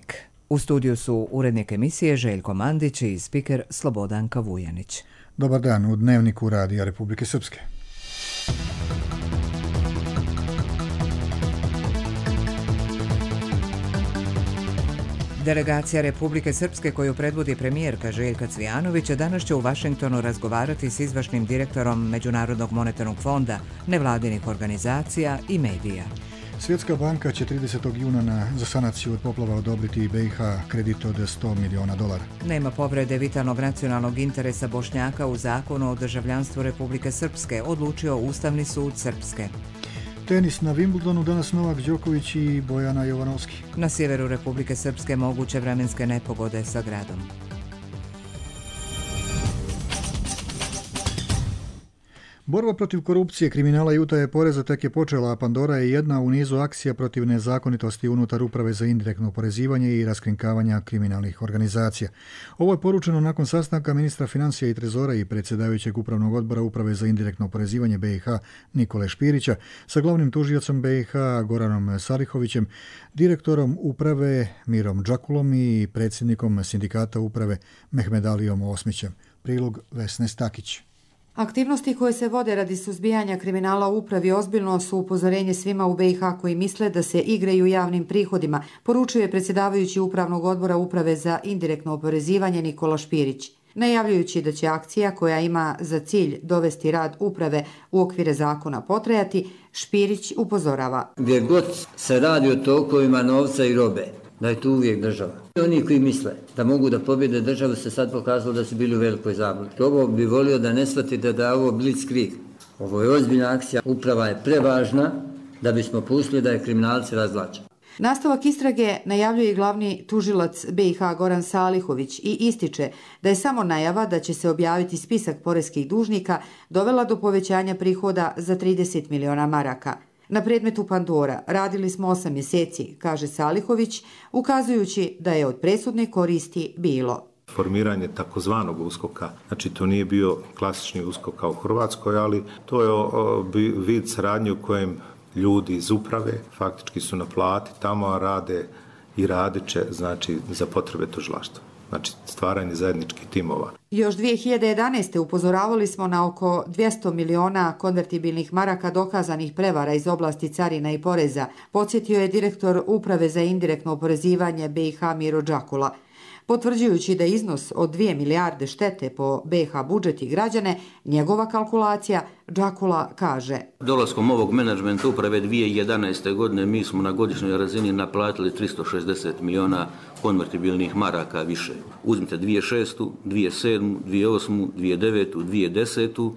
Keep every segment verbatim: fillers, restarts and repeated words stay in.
Dnevnik. U studiju su urednik emisije Željko Mandić i spiker Slobodanka Vujanić. Dobar dan u Dnevniku Radija Republike Srpske. Delegacija Republike Srpske koju predvodi premijerka Željka Cvijanović danas će u Vašingtonu razgovarati s izvršnim direktorom Međunarodnog monetarnog fonda, nevladinih organizacija i medija. Svjetska banka će tridesetog juna na, za sanaciju od poplava odobriti B i H kredit od sto miliona dolara. Nema povrede vitalnog nacionalnog interesa Bošnjaka u zakonu o državljanstvu Republike Srpske, odlučio Ustavni sud Srpske. Tenis na Wimbledonu, danas Novak Đoković i Bojana Jovanovski. Na sjeveru Republike Srpske moguće vremenske nepogode sa gradom. Borba protiv korupcije, kriminala i utaje poreza tek je počela, a Pandora je jedna u nizu akcija protiv nezakonitosti unutar Uprave za indirektno oporezivanje i raskrinkavanja kriminalnih organizacija. Ovo je poručeno nakon sastanka ministra financija i trezora i predsjedavajućeg upravnog odbora Uprave za indirektno oporezivanje B i H Nikole Špirića sa glavnim tužiocom B i H Goranom Salihovićem, direktorom uprave Mirom Džakulom i predsjednikom sindikata uprave Mehmedalijom Osmićem. Prilog Vesne Stakić. Aktivnosti koje se vode radi suzbijanja kriminala u upravi ozbiljno su upozorenje svima u B i H koji misle da se igraju javnim prihodima, poručuje predsjedavajući upravnog odbora Uprave za indirektno oporezivanje Nikola Špirić. Najavljujući da će akcija koja ima za cilj dovesti rad uprave u okvire zakona potrajati, Špirić upozorava. Gdje god se radi o tokovima novca i robe, da je tu uvijek država. Oni koji misle da mogu da pobjede državu se sad pokazalo da su bili u velikoj zabludi. Ovo bi volio da ne shvatite da je ovo blitzkrieg. Ovo je ozbiljna akcija, uprava je prevažna da bismo pustili da je kriminalci razvlače. Nastavak istrage najavljuje i glavni tužilac B i H Goran Salihović i ističe da je samo najava da će se objaviti spisak poreskih dužnika dovela do povećanja prihoda za trideset miliona maraka. Na predmetu Pandora radili smo osam mjeseci, kaže Salihović, ukazujući da je od presudne koristi bilo. Formiranje takozvanog uskoka, znači to nije bio klasični uskok kao u Hrvatskoj, ali to je o, o, vid saradnje u kojem ljudi iz uprave faktički su na plati tamo, a rade i radit će, znači, za potrebe tužilaštva. Znači stvaranje zajedničkih timova. Još dvije hiljade jedanaeste. upozoravali smo na oko dvjesto miliona konvertibilnih maraka dokazanih prevara iz oblasti carina i poreza, podsjetio je direktor Uprave za indirektno oporezivanje B i H Miro Džakula. Potvrđujući da iznos od dvije milijarde štete po B i H budžet i građane, njegova kalkulacija, Džakula kaže. Dolaskom ovog menadžmenta uprave dvije hiljade jedanaeste. godine mi smo na godišnjoj razini naplatili tristo šezdeset miliona konvertibilnih maraka više. Uzmite dvije hiljade šestu. dvije hiljade sedmu. dvije hiljade osmu. dvije hiljade devetu. dvije hiljade desetu.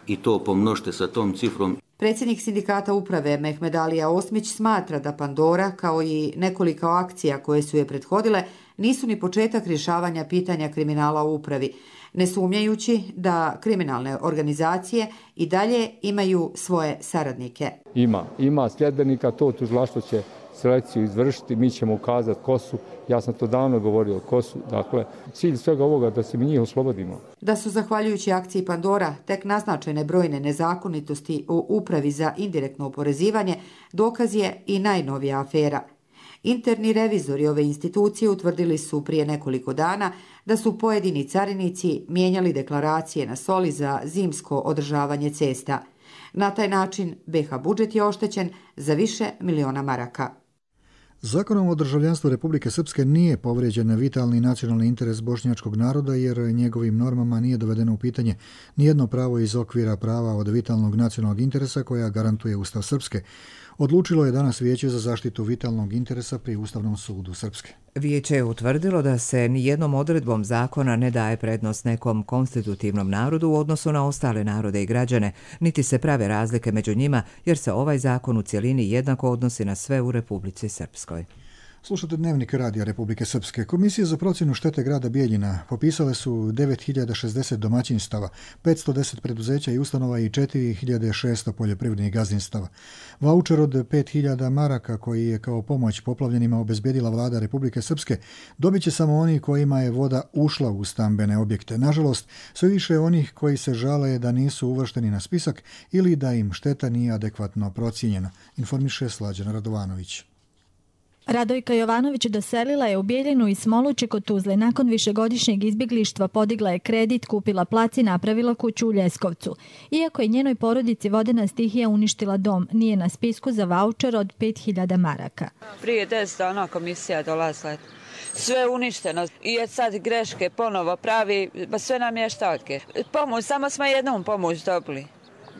i to pomnožite sa tom cifrom. Predsjednik sindikata uprave Mehmedalija Osmić smatra da Pandora, kao i nekoliko akcija koje su je prethodile, nisu ni početak rješavanja pitanja kriminala u upravi, ne sumnjajući da kriminalne organizacije i dalje imaju svoje saradnike. Ima, ima sljedbenika, to tužilaštvo će selekciju izvršiti, mi ćemo ukazati ko su, ja sam to davno govorio ko su, dakle, cilj svega ovoga da se mi njih oslobodimo. Da su zahvaljujući akciji Pandora tek naznačene brojne nezakonitosti u Upravi za indirektno oporezivanje, dokaz je i najnovija afera. Interni revizori ove institucije utvrdili su prije nekoliko dana da su pojedini carinici mijenjali deklaracije na soli za zimsko održavanje cesta. Na taj način B H budžet je oštećen za više miliona maraka. Zakonom o državljanstvu Republike Srpske nije povrijeđen vitalni nacionalni interes bošnjačkog naroda jer njegovim normama nije dovedeno u pitanje nijedno pravo iz okvira prava od vitalnog nacionalnog interesa koja garantuje Ustav Srpske. Odlučilo je danas Vijeće za zaštitu vitalnog interesa pri Ustavnom sudu Srpske. Vijeće je utvrdilo da se nijednom odredbom zakona ne daje prednost nekom konstitutivnom narodu u odnosu na ostale narode i građane, niti se prave razlike među njima, jer se ovaj zakon u cjelini jednako odnosi na sve u Republici Srpskoj. Slušate Dnevnik Radija Republike Srpske. Komisije za procjenu štete grada Bijeljina popisale su devet hiljada šezdeset domaćinstava, petsto deset preduzeća i ustanova i četiri hiljade šesto poljoprivrednih gazdinstava. Vaučer od pet hiljada maraka koji je kao pomoć poplavljenima obezbedila vlada Republike Srpske dobit će samo oni kojima je voda ušla u stambene objekte. Nažalost, sve više onih koji se žale da nisu uvršteni na spisak ili da im šteta nije adekvatno procijenjena, informiše Slađana Radovanović. Radojka Jovanović doselila je u Bijeljinu i Smoluće kod Tuzle. Nakon višegodišnjeg izbjeglištva podigla je kredit, kupila plac i napravila kuću u Ljeskovcu. Iako je njenoj porodici vodena stihija uništila dom, nije na spisku za vaučer od pet hiljada maraka. Prije deset dana komisija dolazila. Sve uništeno i je sad greške ponovo pravi, ba sve namještaljke. Pomoć, samo smo jednom pomoć dobili.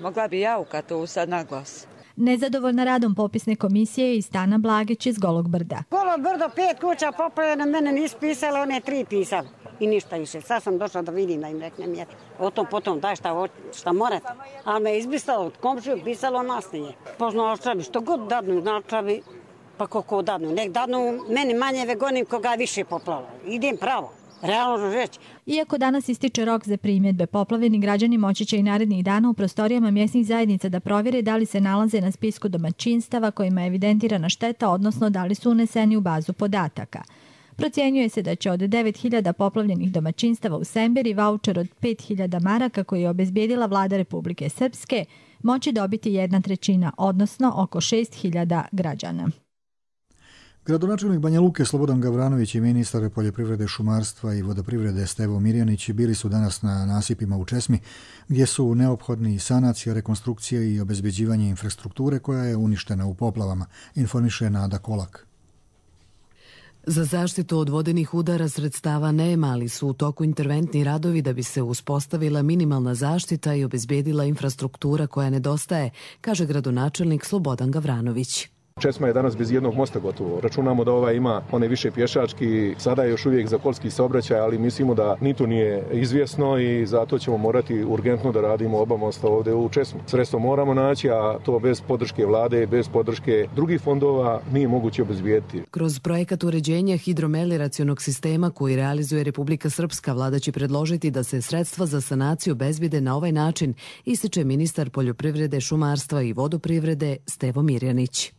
Mogla bi jauka tu sad na glas. Nezadovoljna radom popisne komisije i Stana Blagić iz Golog Brda. Golo Brdo, pet kuća popravljeno, mene nisu pisali, one tri pisali. I ništa više. Sad sam došla da vidim, da im reknem jer o tom potom daj šta, šta morate. Ali me izbrisalo od komšiju, pisalo nas nije. Pozno očavi, što god dadnu, načavi, pa koliko dadnu. Nek dadnu, meni manje vegonim koga više poplalo. Idem pravo. Realno reći. Iako danas ističe rok za primjedbe, poplavljeni građani moći će i narednih dana u prostorijama mjesnih zajednica da provjere da li se nalaze na spisku domaćinstava kojima je evidentirana šteta, odnosno da li su uneseni u bazu podataka. Procjenjuje se da će od devet hiljada poplavljenih domaćinstava u Semberi vaučer od pet hiljada maraka koji je obezbijedila vlada Republike Srpske moći dobiti jedna trećina, odnosno oko šest hiljada građana. Gradonačelnik Banja Luke Slobodan Gavranović i ministar poljoprivrede, šumarstva i vodoprivrede Stevo Mirjanić bili su danas na nasipima u Česmi, gdje su neophodni sanacija, rekonstrukcija i obezbeđivanje infrastrukture koja je uništena u poplavama, informiše Nada Kolak. Za zaštitu od vodenih udara sredstava nema, ali su u toku interventni radovi da bi se uspostavila minimalna zaštita i obezbedila infrastruktura koja nedostaje, kaže gradonačelnik Slobodan Gavranović. Česma je danas bez jednog mosta gotovo. Računamo da ova ima one više pješački, sada je još uvijek za kolski saobraćaj, ali mislimo da ni to nije izvjesno i zato ćemo morati urgentno da radimo oba mosta ovdje u Česmi. Sredstvo moramo naći, a to bez podrške vlade, bez podrške drugih fondova nije moguće obezbijediti. Kroz projekat uređenja hidromelioracionog sistema koji realizuje Republika Srpska, vlada će predložiti da se sredstva za sanaciju obezbijede na ovaj način, ističe ministar poljoprivrede, šumarstva i vodoprivrede Stevo Mirjanić.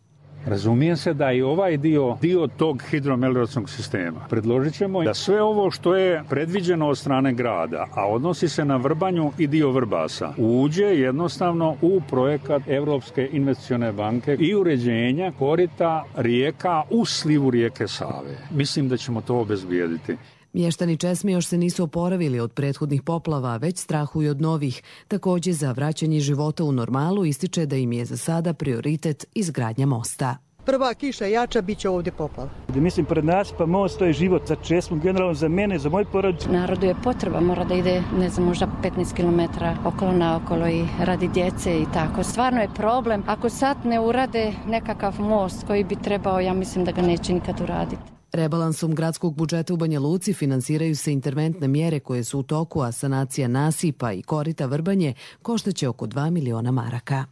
Razumije se da i ovaj dio, dio tog hidromelioracionog sistema. Predložit ćemo da sve ovo što je predviđeno od strane grada, a odnosi se na Vrbanju i dio Vrbasa, uđe jednostavno u projekat Evropske investicione banke i uređenja korita rijeka u slivu rijeke Save. Mislim da ćemo to obezbijediti. Mještani Česme još se nisu oporavili od prethodnih poplava, već strahuju od novih. Također za vraćanje života u normalu ističe da im je za sada prioritet izgradnja mosta. Prva kiša jača, bit će ovdje poplava. Mislim, pred nas pa most, to je život za Česmu, generalno za mene, za moj porodicu. Narodu je potreba, mora da ide, ne znam, možda petnaest kilometara okolo naokolo i radi djece i tako. Stvarno je problem. Ako sad ne urade nekakav most koji bi trebao, ja mislim da ga neće nikad uraditi. Rebalansom gradskog budžeta u Banja Luci finansiraju se interventne mjere koje su u toku, a sanacija nasipa i korita Vrbanje koštaće oko dva miliona maraka.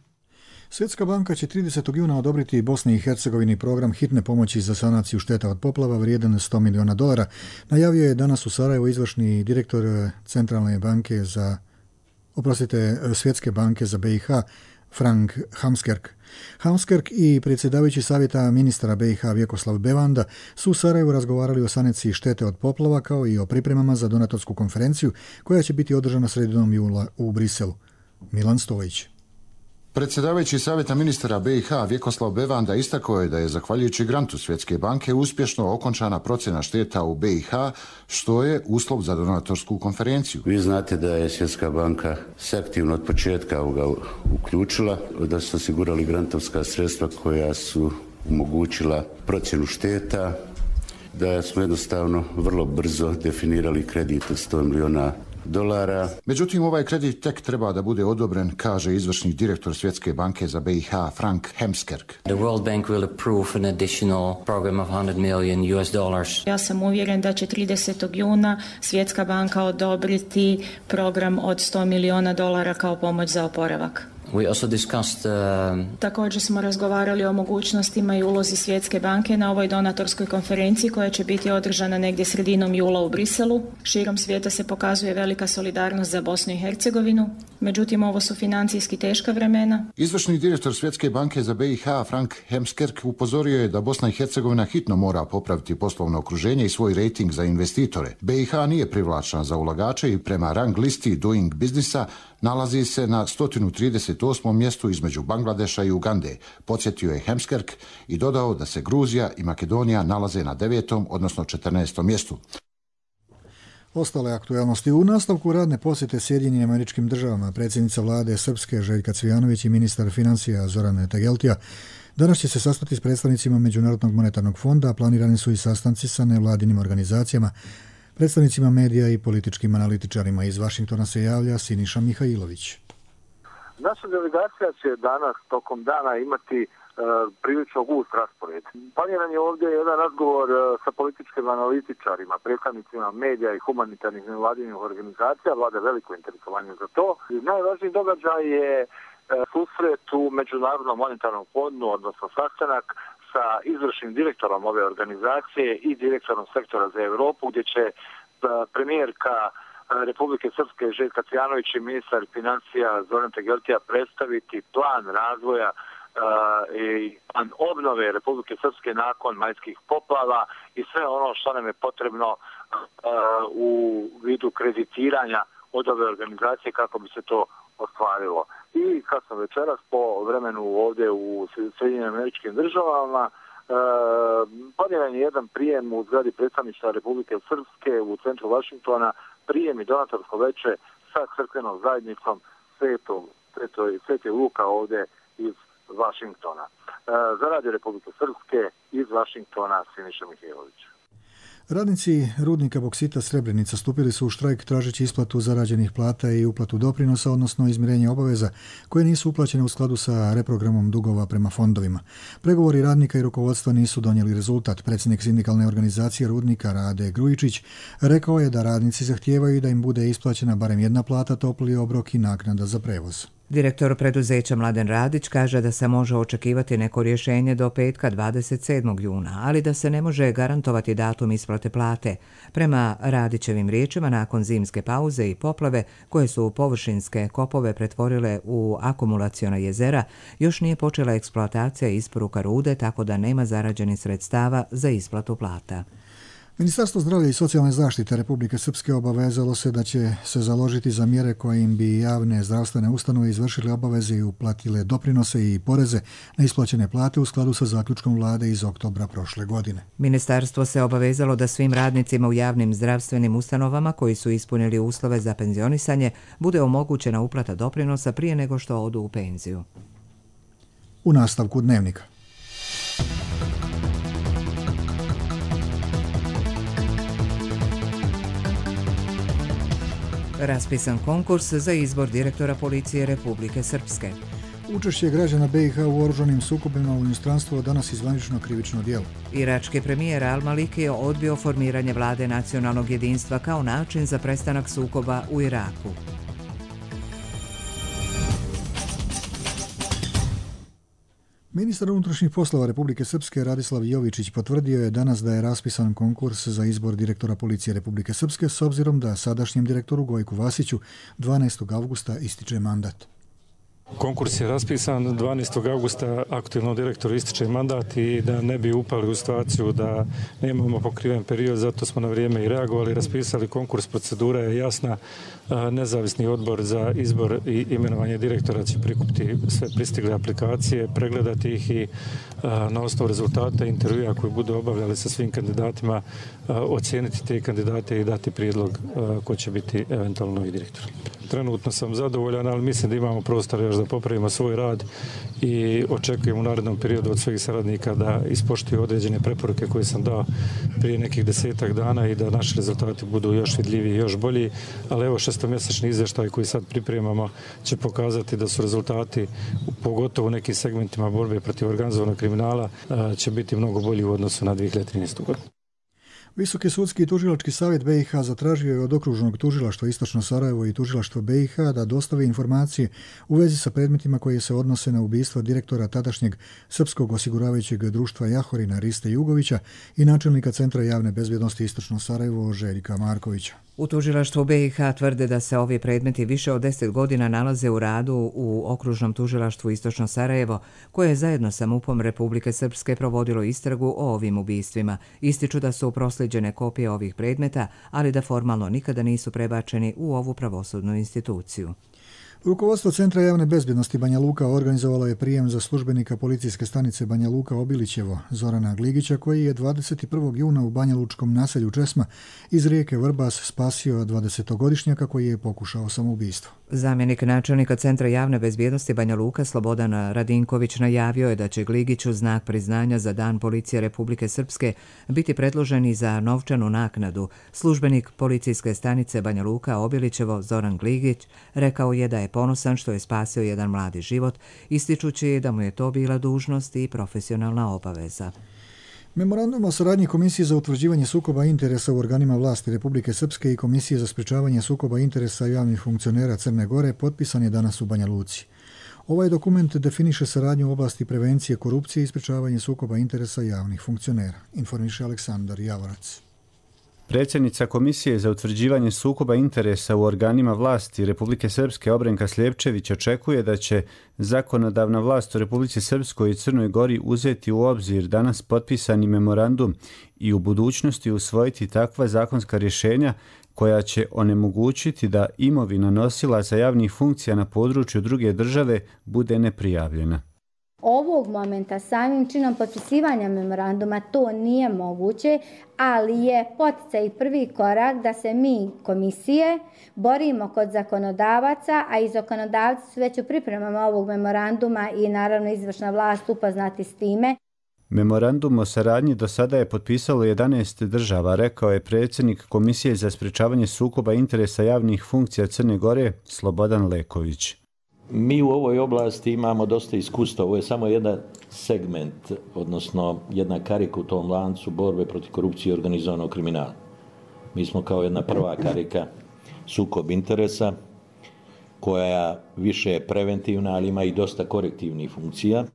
Svjetska banka će tridesetog juna odobriti Bosni i Hercegovini program hitne pomoći za sanaciju šteta od poplava vrijedan sto miliona dolara. Najavio je danas u Sarajevu izvršni direktor Centralne banke za, oprostite, Svjetske banke za B i H, Frank Hamskerk. Hamskerk i predsjedavajući savjeta ministra B i H Vjekoslav Bevanda su u Sarajevu razgovarali o sanaciji štete od poplava kao i o pripremama za donatorsku konferenciju koja će biti održana sredinom jula u Briselu. Milan Stojić. Predsjedavajući savjeta ministara B i H Vjekoslav Bevanda istakao je da je zahvaljujući grantu Svjetske banke uspješno okončana procjena šteta u B i H, što je uslov za donatorsku konferenciju. Vi znate da je Svjetska banka se aktivno od početka ovoga uključila, da su osigurali grantovska sredstva koja su omogućila procjenu šteta, da smo jednostavno vrlo brzo definirali kredit od sto miliona dolara. Međutim, ovaj kredit tek treba da bude odobren, kaže izvršni direktor Svjetske banke za B i H Frank Hamskerk. The World Bank will approve an additional program of one hundred million U S dollars. Ja sam uvjeren da će tridesetog juna Svjetska banka odobriti program od sto miliona dolara kao pomoć za oporavak. We also discussed, uh... Također smo razgovarali o mogućnostima i ulozi Svjetske banke na ovoj donatorskoj konferenciji koja će biti održana negdje sredinom jula u Briselu. Širom svijeta se pokazuje velika solidarnost za Bosnu i Hercegovinu, međutim ovo su financijski teška vremena. Izvršni direktor Svjetske banke za B i H Frank Hamskerk upozorio je da Bosna i Hercegovina hitno mora popraviti poslovno okruženje i svoj rejting za investitore. B i H nije privlačna za ulagače i prema rang listi Doing Businessa nalazi se na sto trideset dvadeset osmom mjestu između Bangladeša i Ugande, podsjetio je Hemskerk i dodao da se Gruzija i Makedonija nalaze na devetom, odnosno četrnaestom mjestu. Ostale aktualnosti u nastavku radne posjete Sjedinjenim Američkim Državama predsjednica vlade Srpske Željka Cvijanović i ministar financija Zoran Tegeltija danas će se sastati s predstavnicima Međunarodnog monetarnog fonda, a planirani su i sastanci sa nevladinim organizacijama, predstavnicima medija i političkim analitičarima. Iz Vašingtona se javlja Siniša Mihajlović. Naša delegacija će danas tokom dana imati prilično gust raspored. Planiran je ovdje jedan razgovor sa političkim analitičarima, predstavnicima medija i humanitarnih nevladinih organizacija, vlada veliko interesovanje za to. Najvažniji događaj je susret u Međunarodnom monetarnom fondu, odnosno sastanak sa izvršnim direktorom ove organizacije i direktorom sektora za Europu, gdje će premijerka Republike Srpske Željka Cvijanović i ministar financija Zoran Tegeltija predstaviti plan razvoja i plan obnove Republike Srpske nakon majskih poplava i sve ono što nam je potrebno u vidu kreditiranja od ove organizacije kako bi se to ostvarilo. I kasno večeras po vremenu ovdje u Sjedinjenim Američkim Državama planiran je jedan prijem u zgradi predstavništva Republike Srpske u centru Vašingtona, prijem i donatorsko veče sa crkvenom zajednicom Svetog Sveti Luka ovdje iz Vašingtona. Za Radio Republike Srpske iz Vašingtona Siniša Mihajlović. Radnici rudnika boksita Srebrenica stupili su u štrajk tražeći isplatu zarađenih plata i uplatu doprinosa, odnosno izmirenje obaveza koje nisu uplaćene u skladu sa reprogramom dugova prema fondovima. Pregovori radnika i rukovodstva nisu donijeli rezultat. Predsjednik sindikalne organizacije rudnika Rade Grujičić rekao je da radnici zahtijevaju da im bude isplaćena barem jedna plata, topli obrok i naknada za prevoz. Direktor preduzeća Mladen Radić kaže da se može očekivati neko rješenje do petka dvadeset sedmog juna, ali da se ne može garantovati datum isplate plate. Prema Radićevim riječima, nakon zimske pauze i poplave koje su površinske kopove pretvorile u akumulaciona jezera, još nije počela eksploatacija i isporuka rude, tako da nema zarađenih sredstava za isplatu plata. Ministarstvo zdravlja i socijalne zaštite Republike Srpske obavezalo se da će se založiti za mjere kojim bi javne zdravstvene ustanove izvršile obaveze i uplatile doprinose i poreze na isplaćene plate u skladu sa zaključkom vlade iz oktobra prošle godine. Ministarstvo se obavezalo da svim radnicima u javnim zdravstvenim ustanovama koji su ispunili uslove za penzionisanje bude omogućena uplata doprinosa prije nego što odu u penziju. U nastavku dnevnika. Raspisan konkurs za izbor direktora policije Republike Srpske. Učešće građana B i H u oružanim sukobima u inostranstvu danas izvanično krivično djelo. Irački premijer Al-Maliki je odbio formiranje vlade nacionalnog jedinstva kao način za prestanak sukoba u Iraku. Ministar unutrašnjih poslova Republike Srpske Radislav Jovičić potvrdio je danas da je raspisan konkurs za izbor direktora policije Republike Srpske s obzirom da sadašnjem direktoru Gojku Vasiću dvanaestog avgusta ističe mandat. Konkurs je raspisan dvanaestog avgusta, aktualnom direktoru ističe mandat i da ne bi upali u situaciju da nemamo pokriven period, zato smo na vrijeme i reagovali, raspisali konkurs, procedura je jasna, nezavisni odbor za izbor i imenovanje direktora će prikupiti sve pristigle aplikacije, pregledati ih i na osnovu rezultata intervjua koji budu obavljali sa svim kandidatima ocijeniti te kandidate i dati prijedlog ko će biti eventualno novi direktor. Trenutno sam zadovoljan, ali mislim da imamo prostor još da popravimo svoj rad i očekujem u narednom periodu od svojih saradnika da ispoštuju određene preporuke koje sam dao prije nekih desetak dana i da naši rezultati budu još vidljiviji i još bolji, ali evo šestomjesečni izvještaj koji sad pripremamo će pokazati da su rezultati, pogotovo u nekim segmentima borbe protiv organizovanog kriminala, će biti mnogo bolji u odnosu na dvije hiljade trinaestu. godinu. Visoki sudski i tužilački savjet B i H zatražio je od okružnog tužilaštva Istočno Sarajevo i tužilaštva B i H da dostave informacije u vezi sa predmetima koje se odnose na ubistvo direktora tadašnjeg Srpskog osiguravajućeg društva Jahorina Riste Jugovića i načelnika Centra javne bezbjednosti Istočno Sarajevo Željka Markovića. U tužilaštvu B i H tvrde da se ovi predmeti više od deset godina nalaze u radu u okružnom tužilaštvu Istočno Sarajevo, koje je zajedno sa MUP-om Republike Srpske provodilo istragu o ovim ubistvima. Ističu da su proslijeđene kopije ovih predmeta, ali da formalno nikada nisu prebačeni u ovu pravosudnu instituciju. Rukovodstvo Centra javne bezbjednosti Banja Luka organizovalo je prijem za službenika policijske stanice Banja Luka Obilićevo, Zorana Gligića, koji je dvadeset prvog juna u Banja Lučkom naselju Česma iz rijeke Vrbas spasio dvadesetogodišnjaka koji je pokušao samoubistvo. Zamjenik načelnika Centra javne bezbjednosti Banja Luka Slobodan Radinković najavio je da će Gligiću znak priznanja za Dan policije Republike Srpske biti predložen i za novčanu naknadu. Službenik policijske stanice Banja Luka Obilićevo Zoran Gligić rekao je da je ponosan što je spasio jedan mladi život, ističući da mu je to bila dužnost i profesionalna obaveza. Memorandum o saradnji Komisije za utvrđivanje sukoba interesa u organima vlasti Republike Srpske i Komisije za sprečavanje sukoba interesa javnih funkcionera Crne Gore potpisan je danas u Banja Luci. Ovaj dokument definiše saradnju u oblasti prevencije korupcije i sprečavanje sukoba interesa javnih funkcionera, informiše Aleksandar Javorac. Predsjednica Komisije za utvrđivanje sukoba interesa u organima vlasti Republike Srpske Obrenka Sljepčević očekuje da će zakonodavna vlast u Republici Srpskoj i Crnoj Gori uzeti u obzir danas potpisani memorandum i u budućnosti usvojiti takva zakonska rješenja koja će onemogućiti da imovina nosilaca javnih funkcija na području druge države bude neprijavljena. Ovog momenta samim činom potpisivanja memoranduma to nije moguće, ali je poticaj prvi korak da se mi, komisije, borimo kod zakonodavaca, a i zakonodavci su već u pripremama ovog memoranduma i naravno izvršna vlast upoznati s time. Memorandum o saradnji do sada je potpisalo jedanaest država, rekao je predsjednik Komisije za sprečavanje sukoba interesa javnih funkcija Crne Gore Slobodan Leković. Mi u ovoj oblasti imamo dosta iskustva, ovo je samo jedan segment, odnosno jedna karika u tom lancu borbe protiv korupcije i organizovanog kriminala. Mi smo kao jedna prva karika sukob interesa, koja više je preventivna, ali ima i dosta korektivnih funkcija.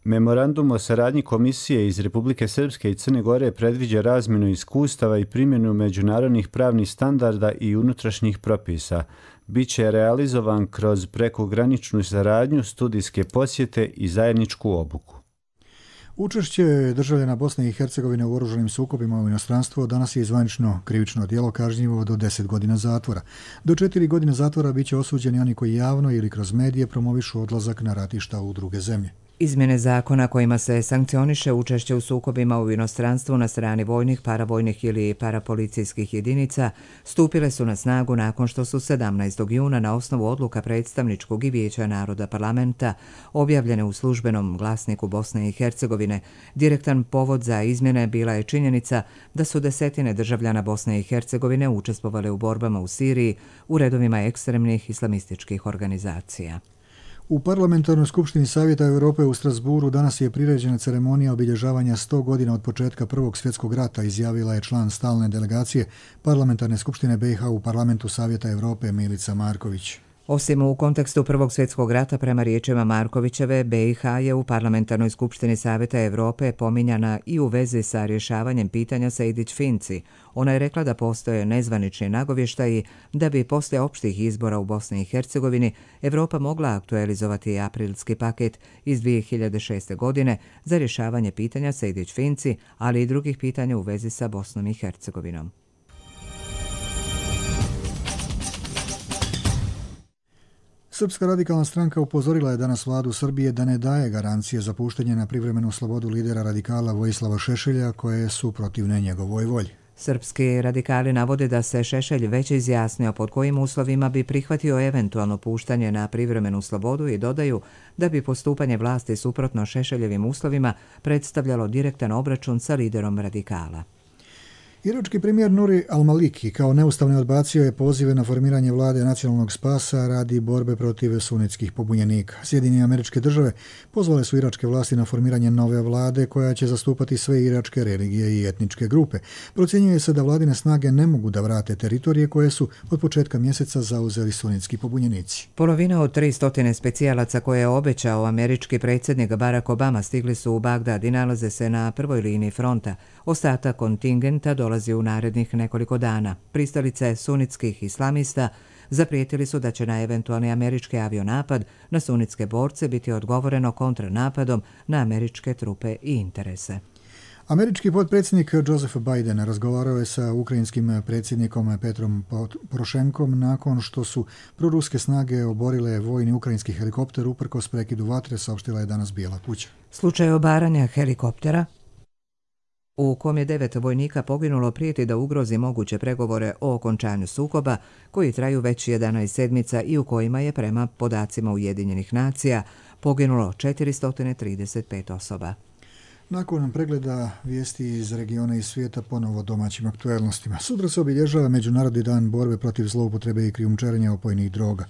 Memorandum o saradnji Komisije iz Republike Srpske i Crne Gore predviđa razmjenu iskustava i primjenu međunarodnih pravnih standarda i unutrašnjih propisa. Biće realizovan kroz prekograničnu saradnju, studijske posjete i zajedničku obuku. Učešće državljana Bosne i Hercegovine u oružanim sukobima u inostranstvu danas je zvanično krivično djelo kažnjivo do deset godina zatvora. Do četiri godine zatvora biće osuđeni oni koji javno ili kroz medije promovišu odlazak na ratišta u druge zemlje. Izmjene zakona kojima se sankcioniše učešće u sukobima u inostranstvu na strani vojnih, paravojnih ili parapolicijskih jedinica stupile su na snagu nakon što su sedamnaestog juna na osnovu odluka predstavničkog i Vijeća naroda parlamenta objavljene u službenom glasniku Bosne i Hercegovine. Direktan povod za izmjene bila je činjenica da su desetine državljana Bosne i Hercegovine učestvovale u borbama u Siriji u redovima ekstremnih islamističkih organizacija. U Parlamentarnoj skupštini Savjeta Europe u Strasburu danas je priređena ceremonija obilježavanja sto godina od početka Prvog svjetskog rata, izjavila je član stalne delegacije Parlamentarne skupštine B i H u Parlamentu Savjeta Europe Milica Marković. Osim u kontekstu Prvog svjetskog rata, prema riječima Markovićeve, B i H je u Parlamentarnoj skupštini Savjeta Europe pominjana i u vezi sa rješavanjem pitanja Sejdić-Finci. Ona je rekla da postoje nezvanični nagovještaji da bi poslije opštih izbora u Bosni i Hercegovini Europa mogla aktualizovati aprilski paket iz dvije hiljade šeste. godine za rješavanje pitanja Sejdić-Finci, ali i drugih pitanja u vezi sa Bosnom i Hercegovinom. Srpska radikalna stranka upozorila je danas vladu Srbije da ne daje garancije za puštanje na privremenu slobodu lidera radikala Vojislava Šešelja, koje su protivne njegovoj volji. Srpski radikali navode da se Šešelj već izjasnio pod kojim uslovima bi prihvatio eventualno puštanje na privremenu slobodu i dodaju da bi postupanje vlasti suprotno Šešeljevim uslovima predstavljalo direktan obračun sa liderom radikala. Irački premijer Nuri al-Maliki kao neustavno odbacio je pozive na formiranje vlade nacionalnog spasa radi borbe protiv sunitskih pobunjenika. Sjedinjene Američke Države pozvale su iračke vlasti na formiranje nove vlade koja će zastupati sve iračke religije i etničke grupe. Procjenjuje se da vladine snage ne mogu da vrate teritorije koje su od početka mjeseca zauzeli sunitski pobunjenici. Polovina od tri stotine specijalaca koje je obećao američki predsjednik Barack Obama stigli su u Bagdad i nalaze se na prvoj liniji fronta. Ostatak kontingenta dolazi u narednih nekoliko dana. Pristalice sunitskih islamista zaprijetili su da će na eventualni američki avionapad na sunitske borce biti odgovoreno kontranapadom na američke trupe i interese. Američki potpredsjednik Joseph Biden razgovarao je sa ukrajinskim predsjednikom Petrom Porošenkom nakon što su proruske snage oborile vojni ukrajinski helikopter uprkos prekidu vatre, saopštila je danas Bijela kuća. Slučaj obaranja helikoptera u kom je devet vojnika poginulo prijeti da ugrozi moguće pregovore o okončanju sukoba koji traju već jedanaest sedmica i u kojima je prema podacima Ujedinjenih nacija poginulo četiristo trideset pet osoba. Nakon pregleda vijesti iz regiona i svijeta ponovo domaćim aktuelnostima. Sutra se obilježava Međunarodni dan borbe protiv zloupotrebe i krijumčarenja opojnih droga.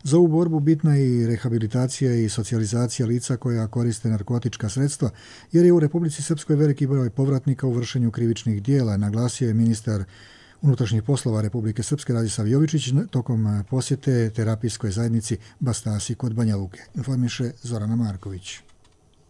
Za ovu borbu bitna je i rehabilitacija i socijalizacija lica koja koriste narkotička sredstva, jer je u Republici Srpskoj veliki broj povratnika u vršenju krivičnih dijela, naglasio je ministar unutrašnjih poslova Republike Srpske Radislav Jovičić tokom posjete terapijskoj zajednici Bastasi kod Banja Luke. Informiše Zorana Marković.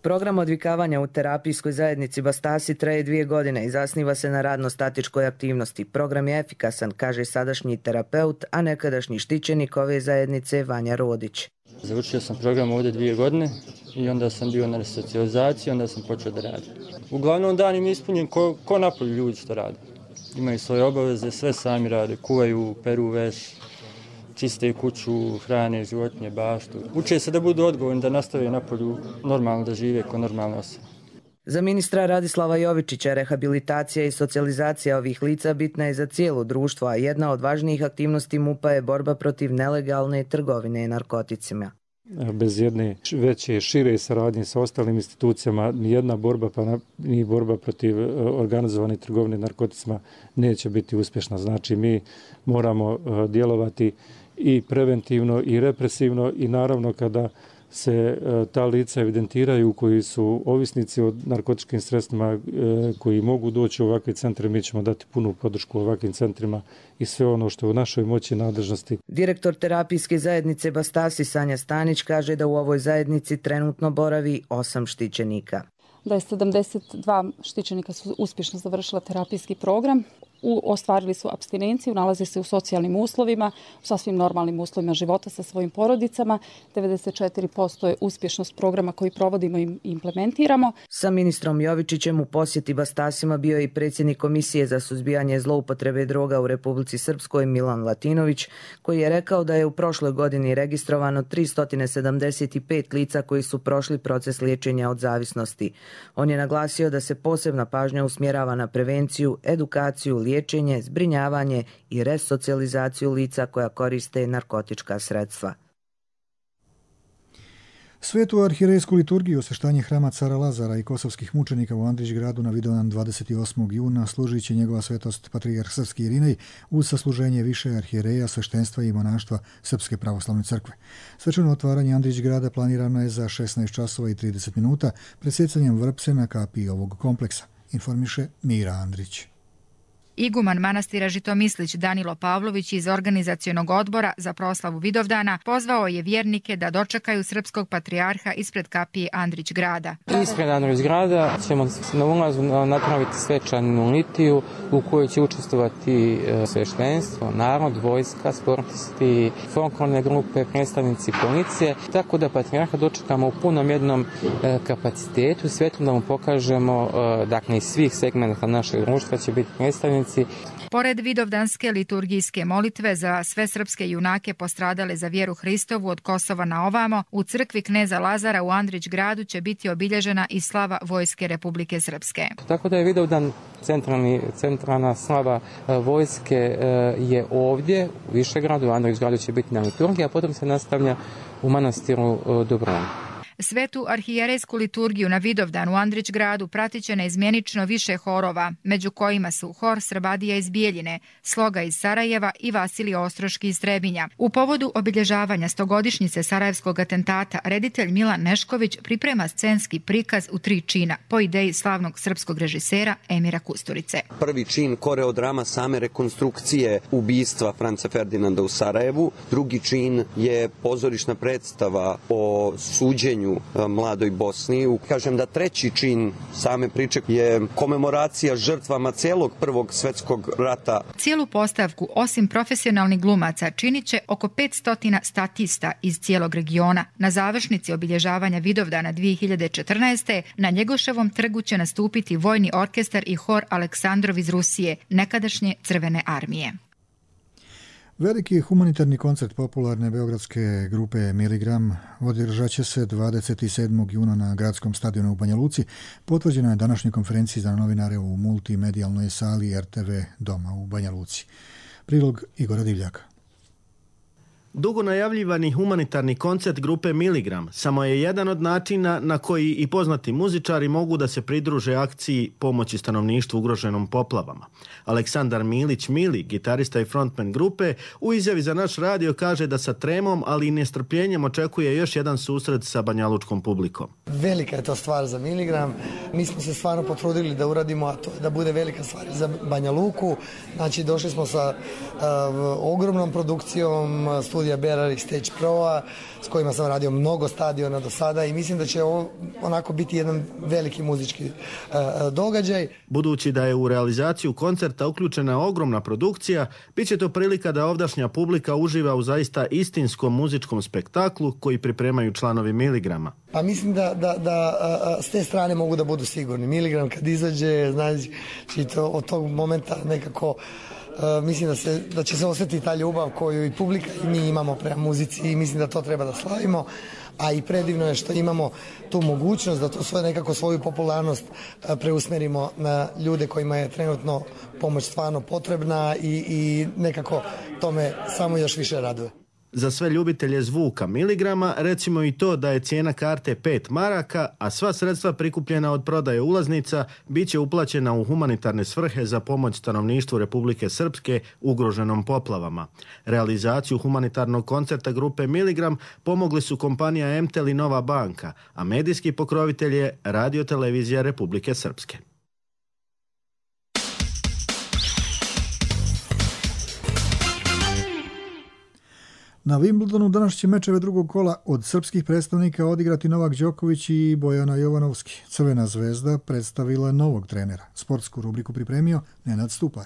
Program odvikavanja u terapijskoj zajednici Bastasi traje dvije godine i zasniva se na radno-statičkoj aktivnosti. Program je efikasan, kaže sadašnji terapeut, a nekadašnji štićenik ove zajednice Vanja Rodić. Završio sam program ovdje dvije godine i onda sam bio na resocijalizaciji, onda sam počeo da radim. Uglavnom dan im je ispunjen ko, ko napolju ljudi što rade. Imaju svoje obaveze, sve sami rade, kuvaju, peru veš, čiste kuću, hrane, životinje, baštu. Uče se da budu odgovorni, da nastave napolju normalno da žive kao normalne osobe. Za ministra Radislava Jovičića rehabilitacija i socijalizacija ovih lica bitna je za cijelo društvo, a jedna od važnijih aktivnosti MUP-a je borba protiv nelegalne trgovine narkoticima. Bez jedne veće, šire saradnje sa ostalim institucijama, ni jedna borba, pa ni borba protiv organizovane trgovine narkoticima neće biti uspješna. Znači, mi moramo djelovati i preventivno i represivno i naravno kada se ta lica evidentiraju koji su ovisnici o narkotičkim sredstvima koji mogu doći u ovakve centre, mi ćemo dati punu podršku ovakvim centrima i sve ono što je u našoj moći i nadležnosti. Direktor terapijske zajednice Bastasi Sanja Stanić kaže da u ovoj zajednici trenutno boravi osam štićenika. Da je sedamdeset dva štićenika su uspješno završila terapijski program. U, ostvarili su apstinenciju, nalaze se u socijalnim uslovima, u sasvim normalnim uslovima života sa svojim porodicama. devedeset četiri posto je uspješnost programa koji provodimo i implementiramo. Sa ministrom Jovičićem u posjeti Bastasima bio je i predsjednik Komisije za suzbijanje zloupotrebe droga u Republici Srpskoj Milan Latinović, koji je rekao da je u prošloj godini registrovano tristo sedamdeset pet lica koji su prošli proces liječenja od zavisnosti. On je naglasio da se posebna pažnja usmjerava na prevenciju, edukaciju, liječenje, zbrinjavanje i resocijalizaciju lica koja koriste narkotička sredstva. Svetu arhirejsku liturgiju osveštanje hrama cara Lazara i kosovskih mučenika u Andrićgradu na Vidovdan dvadeset osmog juna služit će njegova svetost patrijarh Srpski Irinej uz sasluženje više arhijereja, sveštenstva i monaštva Srpske pravoslavne crkve. Svečano otvaranje Andrićgrada planirano je za šesnaest časova i trideset minuta pred sjecanjem vrpse na kapiji ovog kompleksa, informiše Mira Andrić. Iguman manastira Žitomislić Danilo Pavlović iz organizacionog odbora za proslavu Vidovdana pozvao je vjernike da dočekaju srpskog patrijarha ispred kapije Andrićgrada. Ispred Andrićgrada ćemo na ulazu napraviti svečanu litiju u kojoj će učestvovati sveštenstvo, narod, vojska, sportisti, folklorne grupe, predstavnici policije, tako da patrijarha dočekamo u punom jednom kapacitetu, svetlo da mu pokažemo, dakle iz svih segmenta našeg društva će biti predstavnici. Pored vidovdanske liturgijske molitve za sve srpske junake postradale za vjeru Hristovu od Kosova na ovamo, u crkvi kneza Lazara u Andrićgradu će biti obilježena i slava Vojske Republike Srpske. Tako da je Vidovdan centralni, centralna slava vojske je ovdje u Višegradu, u Andrićgradu će biti na liturgiji, a potom se nastavlja u manastiru Dobron. Svetu arhijerejsku liturgiju na Vidovdan u Andrićgradu pratit će neizmjenično više horova, među kojima su hor Srbadija iz Bijeljine, Sloga iz Sarajeva i Vasilij Ostroški iz Trebinja. U povodu obilježavanja stogodišnjice Sarajevskog atentata, reditelj Milan Nešković priprema scenski prikaz u tri čina, po ideji slavnog srpskog režisera Emira Kusturice. Prvi čin koreodrama same rekonstrukcije ubistva Franca Ferdinanda u Sarajevu, drugi čin je pozorišna predstava o suđenju pristupanju Mladoj Bosni. Kažem da treći čin same priče je komemoracija žrtvama celog Prvog svjetskog rata. Cijelu postavku, osim profesionalnih glumaca, činit će oko petsto statista iz cijelog regiona. Na završnici obilježavanja Vidovdana dvije hiljade četrnaeste. na Njegoševom trgu će nastupiti vojni orkestar i hor Aleksandrov iz Rusije, nekadašnje Crvene armije. Veliki humanitarni koncert popularne beogradske grupe Miligram održat će se dvadeset sedmog juna na gradskom stadionu u Banja Luci. Potvrđeno je današnjoj konferenciji za novinare u multimedijalnoj sali er te ve Doma u Banja Luci. Prilog Igora Divljaka. Dugo najavljivani humanitarni koncert grupe Miligram samo je jedan od načina na koji i poznati muzičari mogu da se pridruže akciji pomoći stanovništvu ugroženom poplavama. Aleksandar Milić Mili, gitarista i frontman grupe, u izjavi za naš radio kaže da sa tremom, ali i nestrpljenjem očekuje još jedan susret sa banjalučkom publikom. Velika je to stvar za Miligram. Mi smo se stvarno potrudili da uradimo, a to je da bude velika stvar za Banja Luku. Znači, došli smo sa uh, ogromnom produkcijom studija Berari Stage Pro-a, s kojima sam radio mnogo stadiona do sada i mislim da će ovo onako biti jedan veliki muzički uh, događaj. Budući da je u realizaciju koncerta uključena ogromna produkcija, bit će to prilika da ovdašnja publika uživa u zaista istinskom muzičkom spektaklu koji pripremaju članovi Miligrama. Pa mislim da, da, da a, s te strane mogu da budu sigurni. Miligram kad izađe, znači to, od tog momenta nekako Uh, mislim da, se, da će se osjetiti ta ljubav koju i publika i mi imamo prema muzici i mislim da to treba da slavimo, a i predivno je što imamo tu mogućnost da to svoje nekako svoju popularnost uh, preusmerimo na ljude kojima je trenutno pomoć stvarno potrebna i, i nekako tome samo još više raduje. Za sve ljubitelje zvuka Miligrama recimo i to da je cijena karte pet maraka, a sva sredstva prikupljena od prodaje ulaznica bit će uplaćena u humanitarne svrhe za pomoć stanovništvu Republike Srpske ugroženom poplavama. Realizaciju humanitarnog koncerta grupe Miligram pomogli su kompanija Emtel i Nova banka, a medijski pokrovitelj je Radio-televizija Republike Srpske. Na Wimbledonu danas će mečeve drugog kola od srpskih predstavnika odigrati Novak Đoković i Bojana Jovanovski. Crvena zvezda predstavila novog trenera. Sportsku rubriku pripremio Nenad Stupar.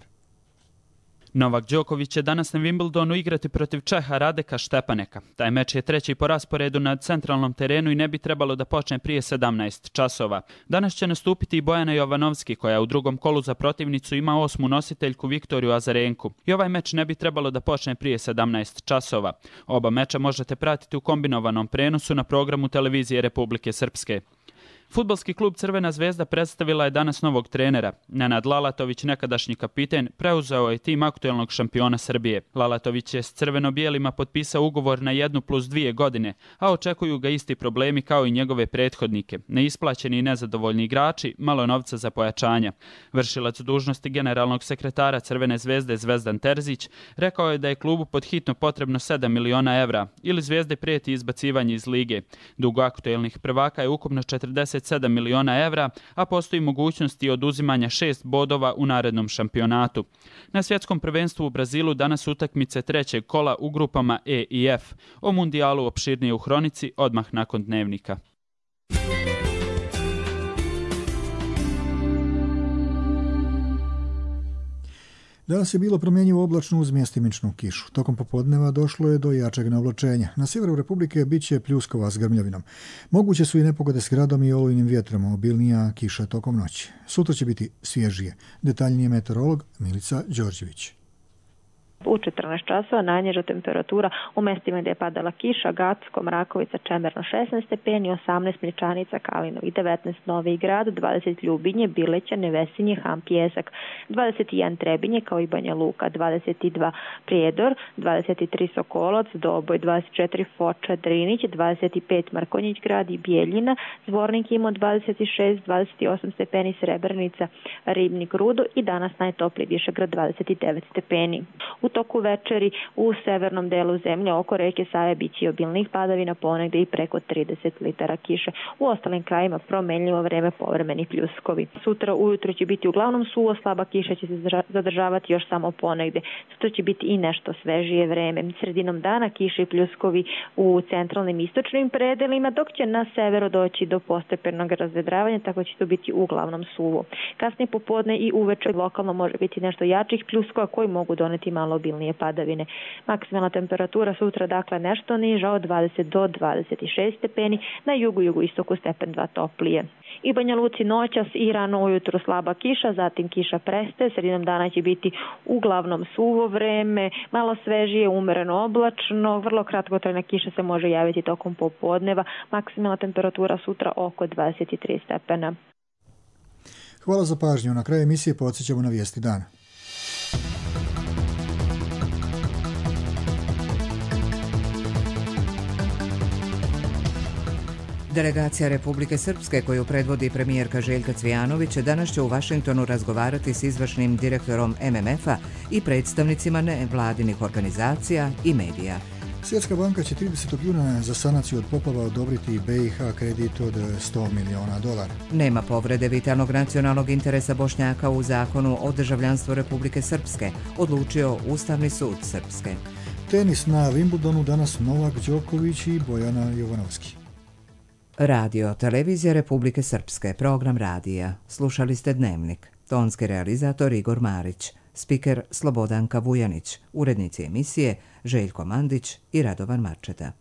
Novak Đoković će danas na Wimbledonu igrati protiv Čeha Radeka Štepaneka. Taj meč je treći po rasporedu na centralnom terenu i ne bi trebalo da počne prije sedamnaest časova. Danas će nastupiti i Bojana Jovanovski, koja u drugom kolu za protivnicu ima osmu nositeljku Viktoriju Azarenku. I ovaj meč ne bi trebalo da počne prije sedamnaest časova. Oba meča možete pratiti u kombinovanom prenosu na programu televizije Republike Srpske. Fudbalski klub Crvena zvezda predstavila je danas novog trenera. Nenad Lalatović, nekadašnji kapiten, preuzeo je tim aktuelnog šampiona Srbije. Lalatović je s crveno-bijelima potpisao ugovor na jednu plus dvije godine, a očekuju ga isti problemi kao i njegove prethodnike. Neisplaćeni i nezadovoljni igrači, malo novca za pojačanja. Vršilac dužnosti generalnog sekretara Crvene zvezde Zvezdan Terzić rekao je da je klubu pod hitno potrebno sedam miliona evra ili Zvezde prijeti izbacivanje iz lige. Dug aktuelnih prvaka je ukupno četrdeset sedam miliona evra, a postoji mogućnost i oduzimanja šest bodova u narednom šampionatu. Na svjetskom prvenstvu u Brazilu danas utakmice trećeg kola u grupama E i F. O mundijalu opširnije u hronici odmah nakon dnevnika. Danas je bilo promjenjivo oblačno uz mjestimičnu kišu. Tokom popodneva došlo je do jačeg navlačenja. Na sjeveru Republike bit će pljuskova s grmljavinom. Moguće su i nepogode s gradom i olujnim vjetrom, obilnija kiša tokom noći. Sutra će biti svježije. Detaljnije meteorolog Milica Đorđević. U četrnaest časova najniža temperatura u mestima gdje je padala kiša: Gacko, Mrakovica, Čemerno šesnaest stepeni, osamnaest Mličanica, Kalinovi, devetnaest Novi Grad, dvadeset Ljubinje, Bileća, Nevesinje, Ham, Pjesak, dvadeset jedan Trebinje kao i Banja Luka, dvadeset dva Prijedor, dvadeset tri Sokolac, Doboj, dvadeset četiri Foča, Drinić, dvadeset pet Markonjić Grad i Bijeljina, Zvornik ima dvadeset šest, dvadeset osam stepeni Srebrnica, Ribnik, Rudo i danas najtopliji Višegrad dvadeset devet stepeni. U toku večeri u severnom delu zemlje oko reke Save biće obilnih padavina, ponegde i preko trideset litara kiše. U ostalim krajima promenljivo vreme, povremeni pljuskovi. Sutra ujutro će biti uglavnom suvo, slaba kiša će se zadržavati još samo ponegde. Sutra će biti i nešto svežije vreme. Sredinom dana kiše i pljuskovi u centralnim i istočnim predelima, dok će na severu doći do postepenog razvedravanja, tako će to biti uglavnom suvo. Kasnije popodne i uveče lokalno može biti nešto jačih pljuskova koji mogu doneti malo obilnije padavine. Maksimalna temperatura sutra dakle nešto niža od dvadeset do dvadeset šest stepeni, na jugu jugoistoku stepen dva toplije. I Banja Luci noćas i rano ujutro slaba kiša, zatim kiša prestaje, sredinom dana će biti uglavnom suvo vreme, malo svežije, umereno oblačno, vrlo kratkotrajna kiša se može javiti tokom popodneva, maksimalna temperatura sutra oko dvadeset tri stepena. Hvala za pažnju. Na kraju emisije podsjećamo na vijesti dana. Delegacija Republike Srpske koju predvodi premijerka Željka Cvijanović danas će u Vašingtonu razgovarati s izvršnim direktorom M M F-a i predstavnicima nevladinih organizacija i medija. Svjetska banka će tridesetog juna za sanaciju od poplava odobriti B i H kredit od sto miliona dolara. Nema povrede vitalnog nacionalnog interesa Bošnjaka u zakonu o državljanstvu Republike Srpske, odlučio Ustavni sud Srpske. Tenis na Wimbledonu danas Novak Đoković i Bojana Jovanovski. Radio, televizija Republike Srpske, program radija. Slušali ste Dnevnik. Tonski realizator Igor Marić, spiker Slobodanka Vujanić, urednici emisije Željko Mandić i Radovan Marčeta.